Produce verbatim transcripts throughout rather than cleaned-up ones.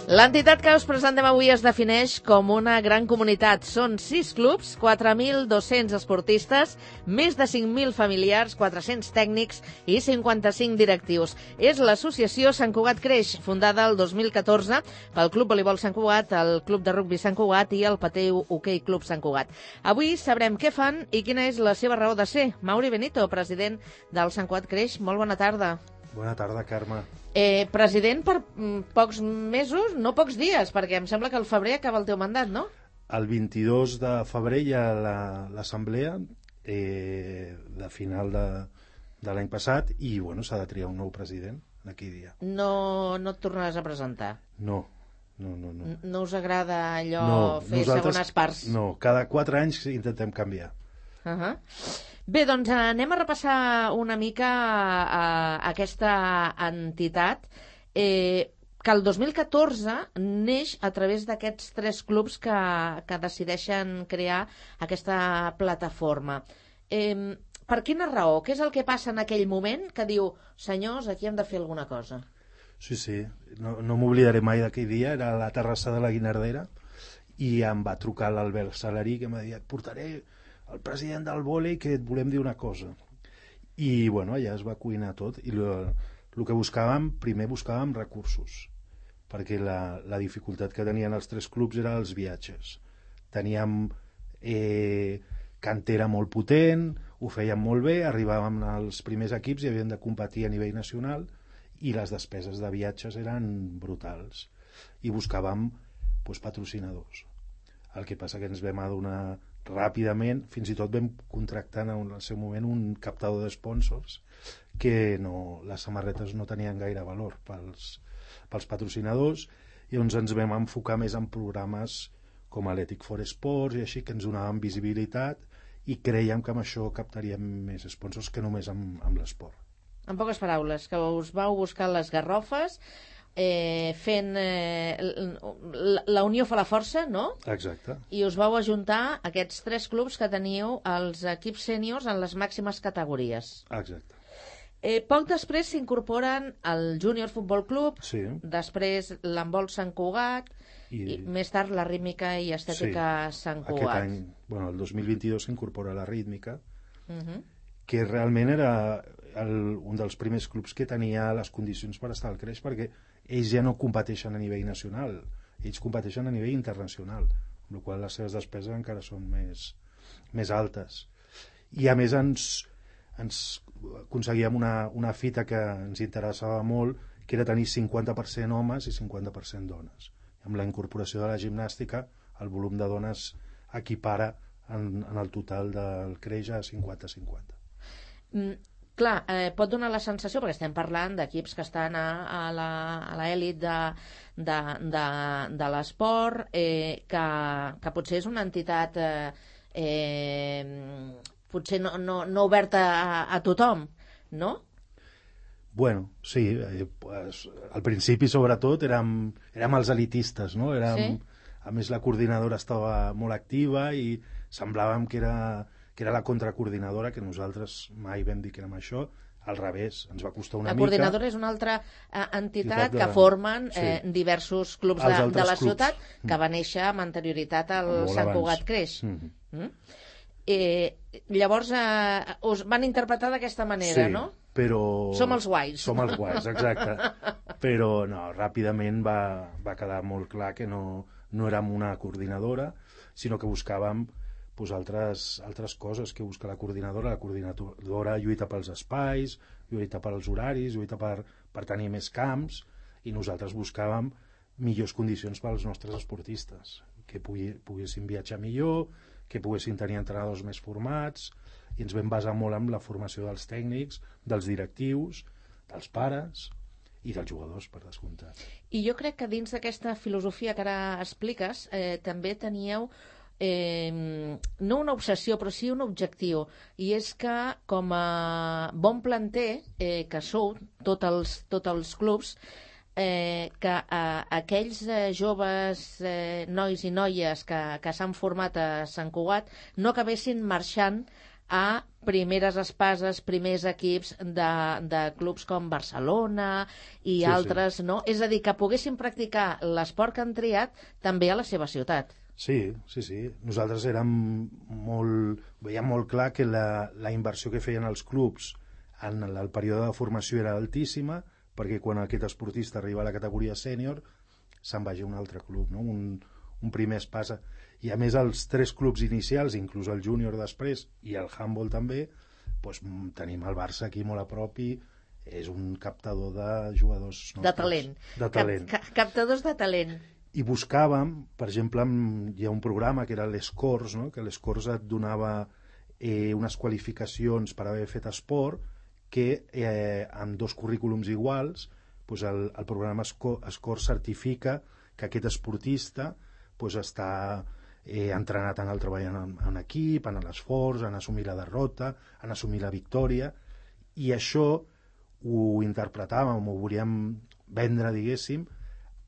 L'entitat que us presentem avui es defineix com una gran comunitat. Són sis clubs, quatre mil dos-cents esportistes, més de cinc mil familiars, quatre-cents tècnics i cinquanta-cinc directius. És l'associació Sant Cugat Creix, fundada el dos mil catorze pel Club Voleibol Sant Cugat, el Club de Rugbi Sant Cugat i el Pateu Hoquei Club Sant Cugat. Avui sabrem què fan i quina és la seva raó de ser. Mauri Benito, president del Sant Cugat Creix, molt bona tarda. Bona tarda, Carme. Eh, president per mm, pocs mesos, no pocs dies, perquè em sembla que al febrer acaba el teu mandat, no? El vint-i-dos de febrer hi ha l'assemblea eh, de final de, de l'any passat i bueno, s'ha de triar un nou president en aquell dia. No, no et tornaràs a presentar? No, no, no. No, no us agrada allò no, fer segones parts? No, cada quatre anys intentem canviar. Uh -huh. Bé, doncs anem a repassar una mica a, a aquesta entitat eh, que el dos mil catorze neix a través d'aquests tres clubs que, que decideixen crear aquesta plataforma. Eh, per quina raó? Què és el que passa en aquell moment que diu, senyors, aquí hem de fer alguna cosa? Sí, sí, no, no m'oblidaré mai d'aquell dia, era a la terrassa de la Guinardera i em va trucar l'Albert Salarí que em va dir, et portaré el president del vòlei que et volem dir una cosa. I bueno, allà es va cuinar tot i el que buscàvem, primer buscàvem recursos, perquè la, la dificultat que tenien els tres clubs era els viatges. Teníem eh, cantera molt potent, ho fèiem molt bé, arribàvem als primers equips i havien de competir a nivell nacional i les despeses de viatges eren brutals i buscàvem doncs, patrocinadors. El que passa que ens vam adonar ràpidament, fins i tot vam contractar en el seu moment un captador de sponsors que no, les samarretes no tenien gaire valor pels, pels patrocinadors i llavors ens vam enfocar més en programes com l'Ethic for Sports i així que ens donaven visibilitat i creiem que amb això captaríem més sponsors que només amb, amb l'esport. En poques paraules, que us vau buscar les garrofes Eh, fent eh, la unió fa la força, no? Exacte. I us vau ajuntar aquests tres clubs que teniu els equips sèniors en les màximes categories. Exacte. Eh, poc després s'incorporen el Júnior Futbol Club, sí. Després l'handbol Sant Cugat i... i més tard la rítmica i estètica sí. Sant Cugat. Aquest any, bueno, el dos mil vint-i-dos s'incorpora la rítmica, uh -huh. que realment era el, un dels primers clubs que tenia les condicions per estar al Creix, perquè ells ja no competeixen a nivell nacional, ells competeixen a nivell internacional, amb la qual cosa les seves despeses encara són més, més altes. I a més ens, ens aconseguíem una, una fita que ens interessava molt, que era tenir cinquanta per cent homes i cinquanta per cent dones. Amb la incorporació de la gimnàstica, el volum de dones equipara en, en el total del Creix a cinquanta a cinquanta. Mm. Clar, eh, pot donar la sensació, perquè estem parlant d'equips que estan a, a l'elit de, de, de, de l'esport, eh, que, que potser és una entitat eh, eh, potser no, no, no oberta a, a tothom, no? Bueno, sí, eh, pues, al principi sobretot érem, érem els elitistes, no? Érem, sí? A més la coordinadora estava molt activa i semblàvem que era... que era la contracoordinadora, que nosaltres mai vam dir que érem això, al revés, ens va costar una mica... La coordinadora és una altra eh, entitat de... que formen eh, sí. diversos clubs de, de la ciutat, clubs. Que va néixer amb anterioritat al molt Sant Cugat Creix. Mm-hmm. Mm? Eh, llavors, eh, us van interpretar d'aquesta manera, sí, no? Però... Som els guais. Som els guais, exacte. Però no, ràpidament va, va quedar molt clar que no, no érem una coordinadora, sinó que buscàvem pues, altres, altres coses que busca la coordinadora. La coordinadora lluita pels espais, lluita pels horaris, lluita per, per tenir més camps, i nosaltres buscàvem millors condicions pels nostres esportistes, que pugui, poguessin viatjar millor, que poguessin tenir entrenadors més formats, i ens vam basar molt en la formació dels tècnics, dels directius, dels pares i dels jugadors, per descomptat. I jo crec que dins d'aquesta filosofia que ara expliques, eh, també teníeu Eh, no una obsessió, però sí un objectiu, i és que com a bon planter eh, que sou, tots els, tots els clubs, eh, que eh, aquells eh, joves eh, nois i noies que, que s'han format a Sant Cugat no acabessin marxant a primeres espases, primers equips de, de clubs com Barcelona i Sí, altres, sí. no? És a dir, que poguessin practicar l'esport que han triat també a la seva ciutat. Sí, sí, sí. Nosaltres érem molt... veiem molt clar que la, la inversió que feien els clubs en el, el període de formació era altíssima, perquè quan aquest esportista arriba a la categoria sènior se'n vagi a un altre club, no? un, un primer espasa. I a més els tres clubs inicials, inclús el júnior després i el handball també, doncs, tenim el Barça aquí molt a prop i és un captador de jugadors nostres. De talent. De talent. Cap, cap, captadors de talent. I buscàvem, per exemple, hi ha un programa que era l'Escors, no? Que l'Escors et donava eh, unes qualificacions per haver fet esport que eh, amb dos currículums iguals doncs el, el programa Escors certifica que aquest esportista doncs està eh, entrenat en el treball en, en equip, en l'esforç, en assumir la derrota, en assumir la victòria, i això ho interpretàvem, ho volíem vendre, diguéssim,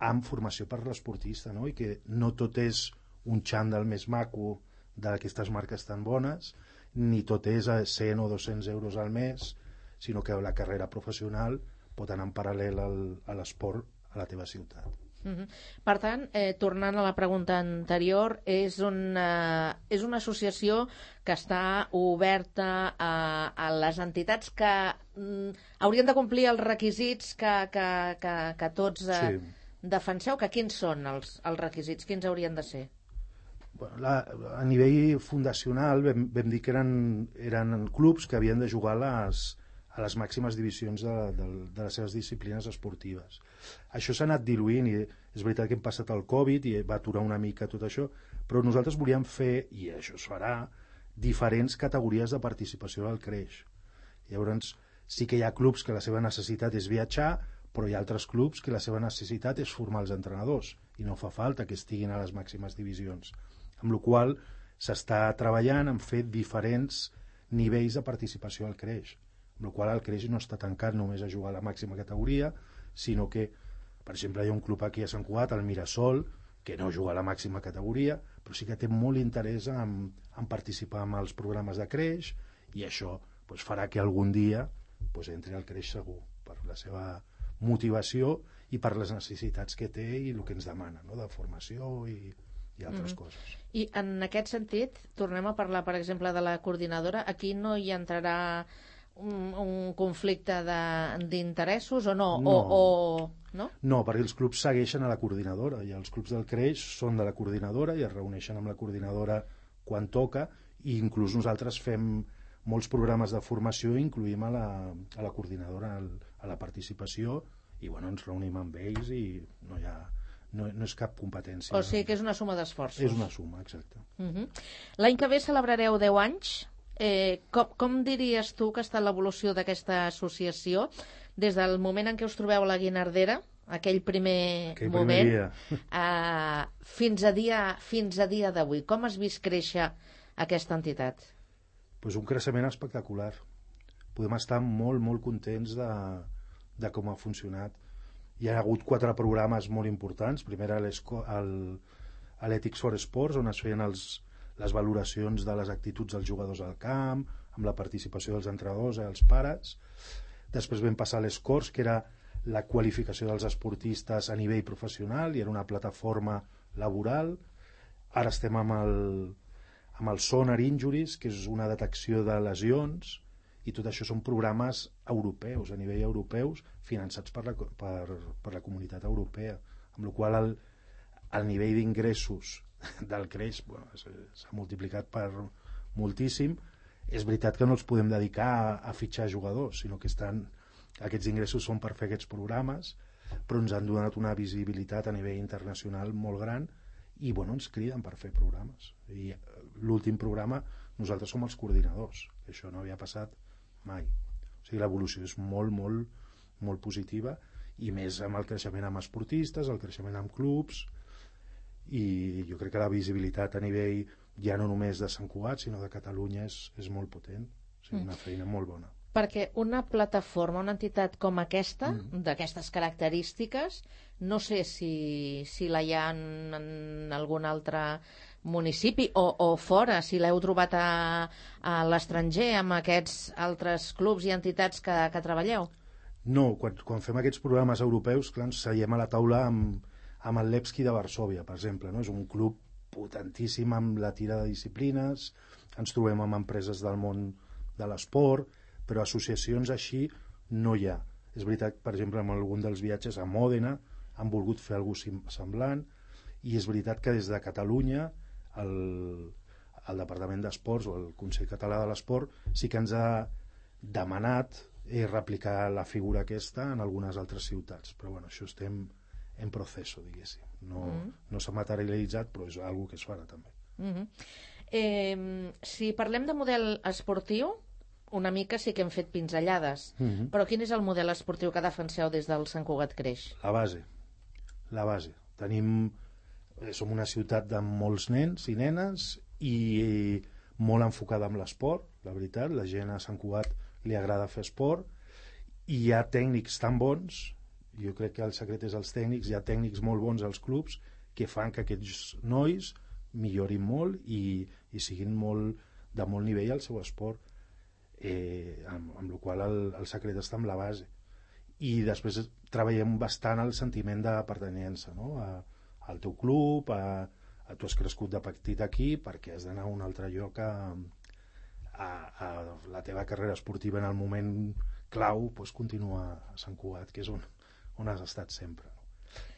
amb formació per l'esportista, no? I que no tot és un xandall més maco d'aquestes marques tan bones, ni tot és a cent o dos-cents euros al mes, sinó que la carrera professional pot anar en paral·lel al, a l'esport a la teva ciutat. Uh-huh. Per tant, eh, tornant a la pregunta anterior, és una, és una associació que està oberta a, a les entitats que mm, haurien de complir els requisits que, que, que, que tots eh, Sí. defenseu, que quins són els, els requisits, quins haurien de ser? Bueno, la, a nivell fundacional vam, vam dir que eren, eren clubs que havien de jugar a les, a les màximes divisions de, de, de les seves disciplines esportives. Això s'ha anat diluint i és veritat que hem passat el Covid i va aturar una mica tot això, però nosaltres volíem fer, i això es farà, diferents categories de participació al creix. Llavors sí que hi ha clubs que la seva necessitat és viatjar, però hi ha altres clubs que la seva necessitat és formar els entrenadors i no fa falta que estiguin a les màximes divisions, amb la qual cosa s'està treballant en fer diferents nivells de participació al creix, amb la qual cosa el creix no està tancat només a jugar a la màxima categoria, sinó que, per exemple, hi ha un club aquí a Sant Cugat, el Mirasol, que no juga a la màxima categoria, però sí que té molt interès en, en participar en els programes de creix, i això doncs, farà que algun dia doncs, entri al creix segur, per la seva motivació i per les necessitats que té i el que ens demana, no? De formació i, i altres mm. coses. I en aquest sentit, tornem a parlar, per exemple, de la coordinadora. Aquí no hi entrarà un, un conflicte d'interessos o no? No. O, o, no? No, perquè els clubs segueixen a la coordinadora i els clubs del creix són de la coordinadora i es reuneixen amb la coordinadora quan toca, i inclús nosaltres fem molts programes de formació i incluïm a la, a la coordinadora a la participació i bueno, ens reunim amb ells i no hi ha, no, no és cap competència. O sigui que és una suma d'esforços. És una suma, exacte. Uh-huh. L'any que ve celebrareu deu anys. Eh, com, com diries tu que està l'evolució d'aquesta associació des del moment en què us trobeu a la Guinardera, aquell primer aquell moment, primer eh, fins a dia, fins a dia d'avui? Com has vist créixer aquesta entitat? Pues un creixement espectacular. Podem estar molt, molt contents de, de com ha funcionat. Hi ha hagut quatre programes molt importants. Primer l'Ethics for Sports, on es feien els, les valoracions de les actituds dels jugadors al camp, amb la participació dels entrenadors i els pares. Després vam passar a l'Escors, que era la qualificació dels esportistes a nivell professional i era una plataforma laboral. Ara estem amb el amb el Sonar Injuries, que és una detecció de lesions, i tot això són programes europeus, a nivell europeus, finançats per la, per, per la comunitat europea, amb la qual el, el nivell d'ingressos del creix bueno, s'ha multiplicat per moltíssim. És veritat que no els podem dedicar a, a fitxar jugadors, sinó que estan, aquests ingressos són per fer aquests programes, però ens han donat una visibilitat a nivell internacional molt gran i bueno, ens criden per fer programes. I l'últim programa nosaltres som els coordinadors, això no havia passat mai. O sigui, l'evolució és molt, molt, molt positiva, i més amb el creixement amb esportistes, el creixement amb clubs, i jo crec que la visibilitat a nivell ja no només de Sant Cugat, sinó de Catalunya és, és molt potent. O sigui, una feina molt bona. Perquè una plataforma, una entitat com aquesta, mm. d'aquestes característiques, no sé si, si la hi ha en, en algun altre municipi o, o fora, si l'heu trobat a, a l'estranger amb aquests altres clubs i entitats que, que treballeu? No, quan, quan fem aquests programes europeus, clar, ens seiem a la taula amb, amb el Levski de Varsòvia, per exemple, no? És un club potentíssim amb la tira de disciplines, ens trobem amb empreses del món de l'esport, però associacions així no hi ha. És veritat, per exemple, en algun dels viatges a Mòdena han volgut fer alguna cosa semblant, i és veritat que des de Catalunya el, el Departament d'Esports o el Consell Català de l'Esport sí que ens ha demanat eh, replicar la figura aquesta en algunes altres ciutats, però bueno, això estem en procés, diguéssim. No, mm. no s'ha materialitzat, però és una cosa que es farà també. Mm -hmm. eh, si parlem de model esportiu, una mica sí que hem fet pinzellades, mm -hmm. però quin és el model esportiu que defenseu des del Sant Cugat Creix? La base, la base. Tenim, eh, som una ciutat amb molts nens i nenes i molt enfocada amb l'esport, la veritat, la gent a Sant Cugat li agrada fer esport, i hi ha tècnics tan bons, jo crec que el secret és els tècnics, hi ha tècnics molt bons als clubs que fan que aquests nois millorin molt i, i siguin molt, de molt nivell al seu esport, eh, amb, amb la qual el, el secret està amb la base. I després treballem bastant el sentiment de pertanyença, no? a, al teu club, a, a tu has crescut de petit aquí perquè has d'anar a un altre lloc a, a, a la teva carrera esportiva en el moment clau, doncs continua a Sant Cugat, que és on, on has estat sempre, no?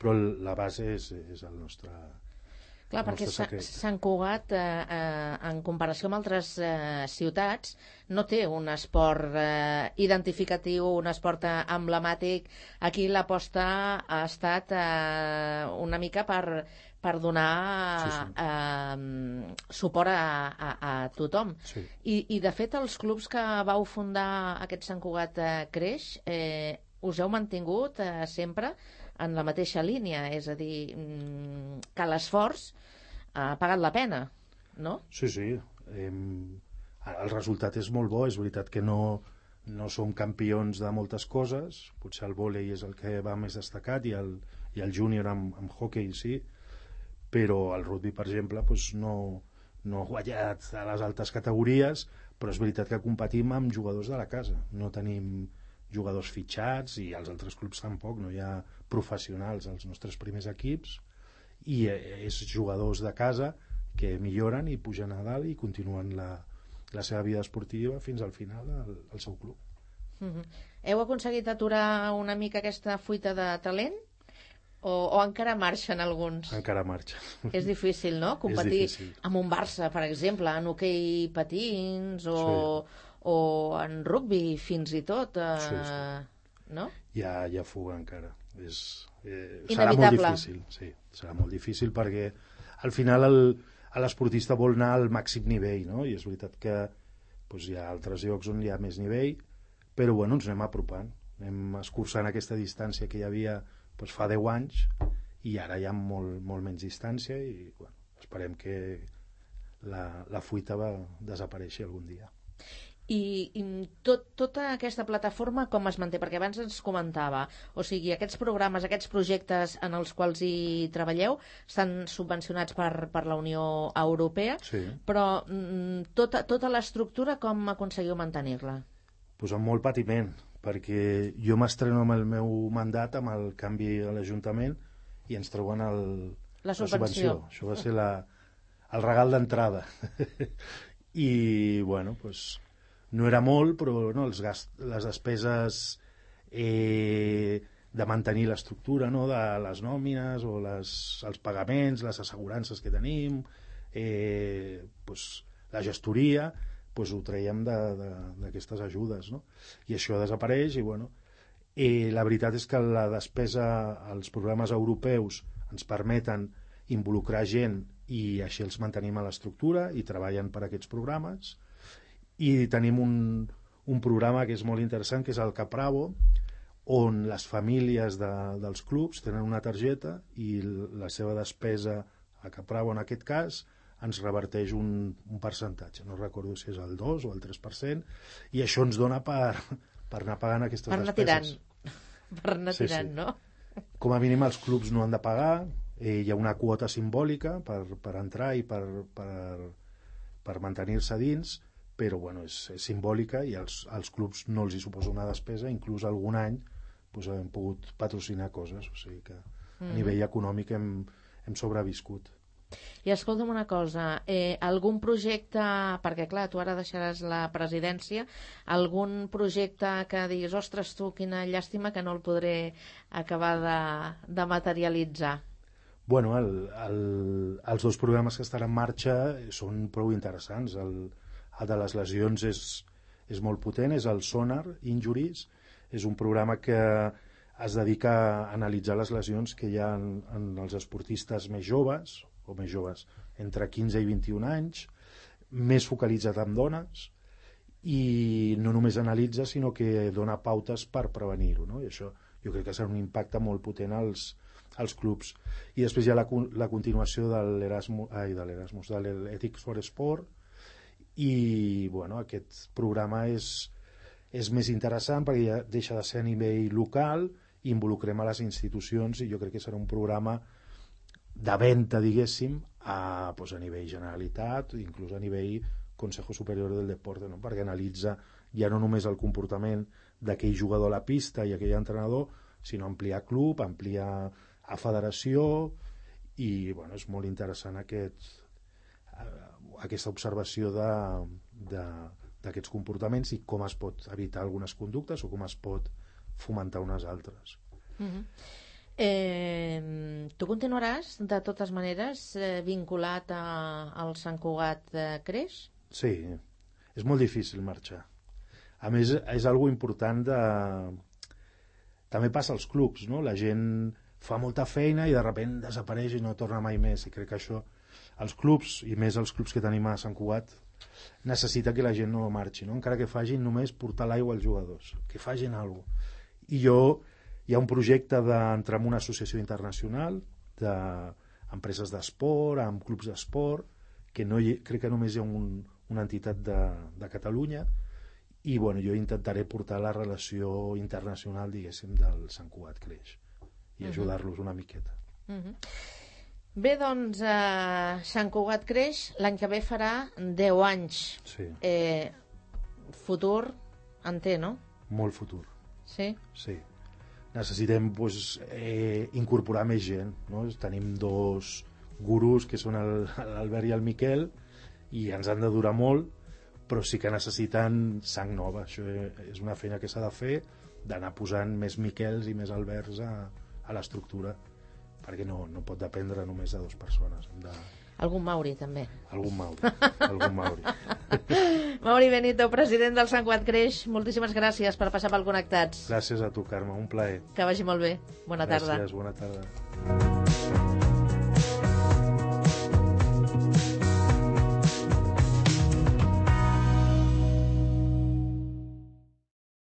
Però la base és, és el nostre... Clar, perquè Sant Cugat, eh, eh, en comparació amb altres eh, ciutats, no té un esport eh, identificatiu, un esport eh, emblemàtic. Aquí l'aposta ha estat eh, una mica per, per donar sí, sí. Eh, suport a, a, a tothom. Sí. I, I, de fet, els clubs que vau fundar aquest Sant Cugat eh, Creix, eh, us heu mantingut eh, sempre en la mateixa línia, és a dir, que l'esforç ha pagat la pena, no? Sí, sí. Eh, el resultat és molt bo, és veritat que no, no som campions de moltes coses, potser el vòlei és el que va més destacat i el, i el júnior amb, amb hockey sí, però el rugby, per exemple, doncs no, no ha guanyat a les altes categories, però és veritat que competim amb jugadors de la casa, no tenim jugadors fitxats i els altres clubs tampoc, no hi ha professionals als nostres primers equips i és jugadors de casa que milloren i pugen a dalt i continuen la, la seva vida esportiva fins al final al, al seu club. Mm-hmm. Heu aconseguit aturar una mica aquesta fuita de talent? O, o encara marxen alguns? Encara marxen. És difícil, no? Competir difícil. Amb un Barça, per exemple, en hoquei patins o, sí. o en rugby fins i tot, eh, sí, sí. no? Hi ha, hi ha fuga encara. És, eh, serà molt difícil, sí, serà molt difícil perquè al final el, l'esportista vol anar al màxim nivell, no? I és veritat que doncs, hi ha altres llocs on hi ha més nivell, però bueno, ens anem apropant, anem escurçant aquesta distància que hi havia doncs, fa deu anys i ara hi ha molt, molt menys distància i bueno, esperem que la, la fuita va desaparèixer algun dia. I, i tot, tota aquesta plataforma com es manté? Perquè abans ens comentava, o sigui, aquests programes, aquests projectes en els quals hi treballeu estan subvencionats per, per la Unió Europea, sí. Però mm, tota, tota l'estructura com aconseguiu mantenir-la? Pues amb molt patiment, perquè jo m'estreno amb el meu mandat amb el canvi a l'Ajuntament i ens treuen el, la, subvenció. la subvenció. Això va ser la, el regal d'entrada. I, bueno, pues, no era molt, però no, els gast, les despeses eh, de mantenir l'estructura, no, de les nòmines o les, els pagaments, les assegurances que tenim, eh, pues, la gestoria, pues, ho traiem d'aquestes ajudes, no? I això desapareix i, bueno, eh, la veritat és que la despesa, els programes europeus ens permeten involucrar gent i així els mantenim a l'estructura i treballen per aquests programes. I tenim un, un programa que és molt interessant, que és el Capravo, on les famílies de, dels clubs tenen una targeta i la seva despesa a Capravo, en aquest cas, ens reverteix un, un percentatge. No recordo si és el dos o el tres per cent, i això ens dona per, per anar pagant aquestes per despeses. Tirant. Per anar tirant, sí, sí. No? Com a mínim els clubs no han de pagar, eh, hi ha una quota simbòlica per, per entrar i per, per, per mantenir-se dins, però bueno, és, és simbòlica i als, als clubs no els hi suposa una despesa, inclús algun any doncs, hem pogut patrocinar coses, o sigui que a Mm. nivell econòmic hem, hem sobreviscut. I escolta'm una cosa, eh, algun projecte, perquè clar, tu ara deixaràs la presidència, algun projecte que diguis, ostres tu, quina llàstima que no el podré acabar de, de materialitzar? Bueno, el, el, els dos programes que estan en marxa són prou interessants. El, el de les lesions és, és molt potent, és el Sonar Injuries, és un programa que es dedica a analitzar les lesions que hi ha en, en els esportistes més joves, o més joves, entre quinze i vint-i-un anys, més focalitzat en dones, i no només analitza, sinó que dona pautes per prevenir-ho, no? I això jo crec que serà un impacte molt potent als, als clubs. I després hi ha la, la continuació de l'Erasmus, ai, de l'Erasmus, de l'Ethics for Sport, i bueno, aquest programa és, és més interessant perquè ja deixa de ser a nivell local i involucrem a les institucions, i jo crec que serà un programa de venda, diguéssim, a, pues, a nivell Generalitat, inclús a nivell Consejo Superior del Deporte, no? Perquè analitza ja no només el comportament d'aquell jugador a la pista i aquell entrenador, sinó ampliar club, ampliar a federació, i bueno, és molt interessant aquest, aquesta observació de, de, d'aquests comportaments i com es pot evitar algunes conductes o com es pot fomentar unes altres. Mm-hmm. Eh, tu continuaràs de totes maneres eh, vinculat a, al Sant Cugat eh, Creix? Sí, és molt difícil marxar. A més, és algo important de... també passa als clubs, no? La gent fa molta feina i de sobte desapareix i no torna mai més, i crec que això els clubs, i més els clubs que tenim a Sant Cugat, necessita que la gent no marxi, no? Encara que facin només portar l'aigua als jugadors, que facin alguna cosa. I jo, hi ha un projecte d'entrar en una associació internacional d'empreses d'esport, amb clubs d'esport, que no hi, crec que només hi ha un, una entitat de, de Catalunya, i bueno, jo intentaré portar la relació internacional, diguéssim, del Sant Cugat Creix i ajudar-los una miqueta. Uh-huh. Bé, doncs, eh, Sant Cugat Creix l'any que ve farà deu anys. Sí. Eh, futur en té, no? Molt futur. Sí? Sí. Necessitem pues, eh, incorporar més gent, no? Tenim dos gurus que són el, l'Albert i el Miquel, i ens han de durar molt, però sí que necessiten sang nova. Això és una feina que s'ha de fer, d'anar posant més Miquels i més Alberts a, a l'estructura, perquè no, no pot dependre només de dues persones. Hem de... Algun Mauri, també. Algun Mauri. Algun Mauri. Mauri Benito, president del Sant Cugat Creix, moltíssimes gràcies per passar pel Connectats. Gràcies a tu, Carme, un plaer. Que vagi molt bé. Bona tarda. Gràcies, bona tarda.